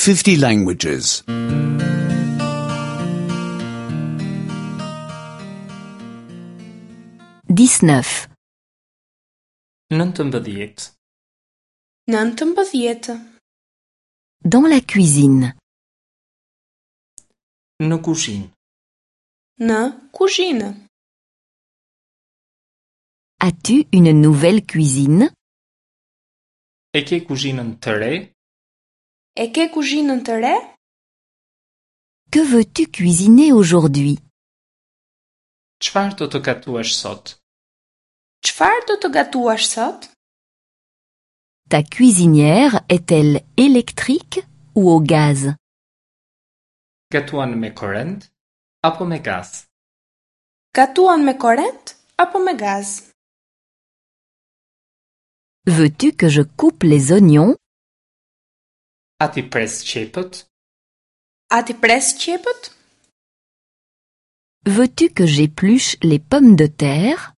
50 languages. 19. 19. 19. Dans la cuisine. Në kuzhinë. Në kuzhinë. As-tu une nouvelle cuisine? E ke kuzhinën të re? E ke kuzhinën të re? Que veux-tu cuisiner aujourd'hui? Çfarë do të gatuash sot? Çfarë do të gatuash sot? Ta cuisinière est-elle électrique ou au gaz? Gatuan me korrent apo me gaz? Gatuan me korrent apo me gaz? Veux-tu que je coupe les oignons? A t'i pres qepët? A t'i pres qepët? Veux-tu que j'épluche les pommes de terre?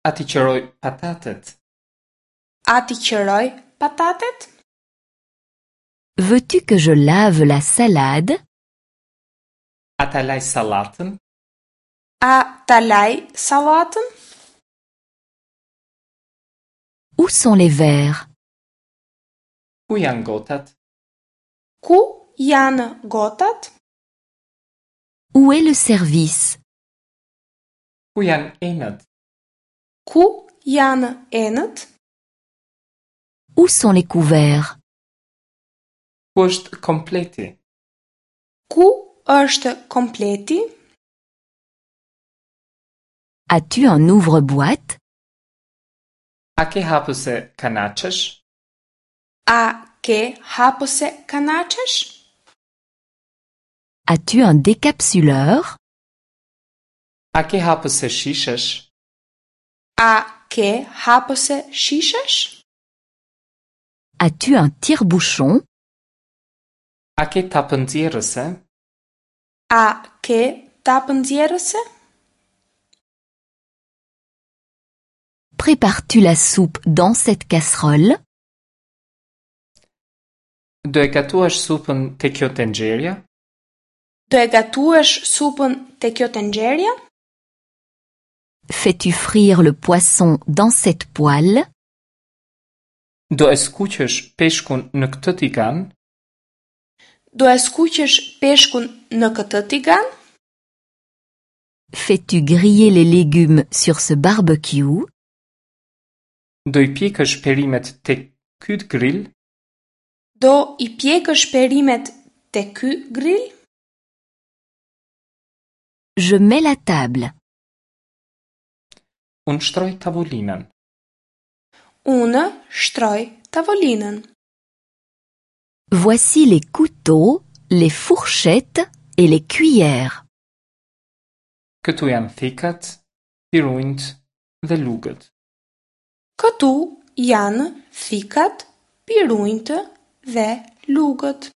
A t'i qëroj patatet? A t'i qëroj patatet? Veux-tu que je lave la salade? A ta laj sallatën? A ta laj sallatën? Où sont les verres? Ku janë gotat? Ku janë gotat? Où est le service? Ku janë enët? Ku janë enët? Où sont les couverts? Ku është kompleti? Ku është kompleti? As-tu un ouvre-boîte? A ke hapëse kanaçesh? A ke hapëse kanaçesh? As-tu un décapsuleur? A ke hapëse shishesh? A ke hapëse shishesh? As-tu un tire-bouchon? A ke tapë nxjerrëse? A ke tapë nxjerrëse? Prépares-tu la soupe dans cette casserole? Do e gatuash supën te kjo tenxherja? Do e gatuash supën te kjo tenxherja? Fais-tu frire le poisson dans cette poêle? Do e skuqësh peshkun në këtë tigan? Do e skuqësh peshkun në këtë tigan? Fais-tu griller les légumes sur ce barbecue? Do i pjekësh perimet te ky grill? Do i pjekësh perimet te ky grill? Je mets la table. Unë shtroj tavolinën. Unë shtroj tavolinën. Voici les couteaux, les fourchettes et les cuillères. Këtu janë thikat, pirunjtë dhe lugët. Këtu janë thikat, pirunjtë dhe lugët.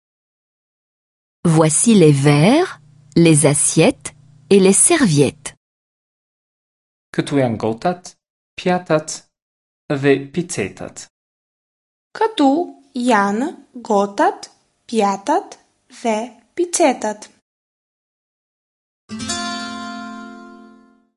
Voici les verres, les assiettes et les serviettes. Këtu janë gotat, pjatat dhe picetat. Këtu janë gotat, pjatat dhe picetat.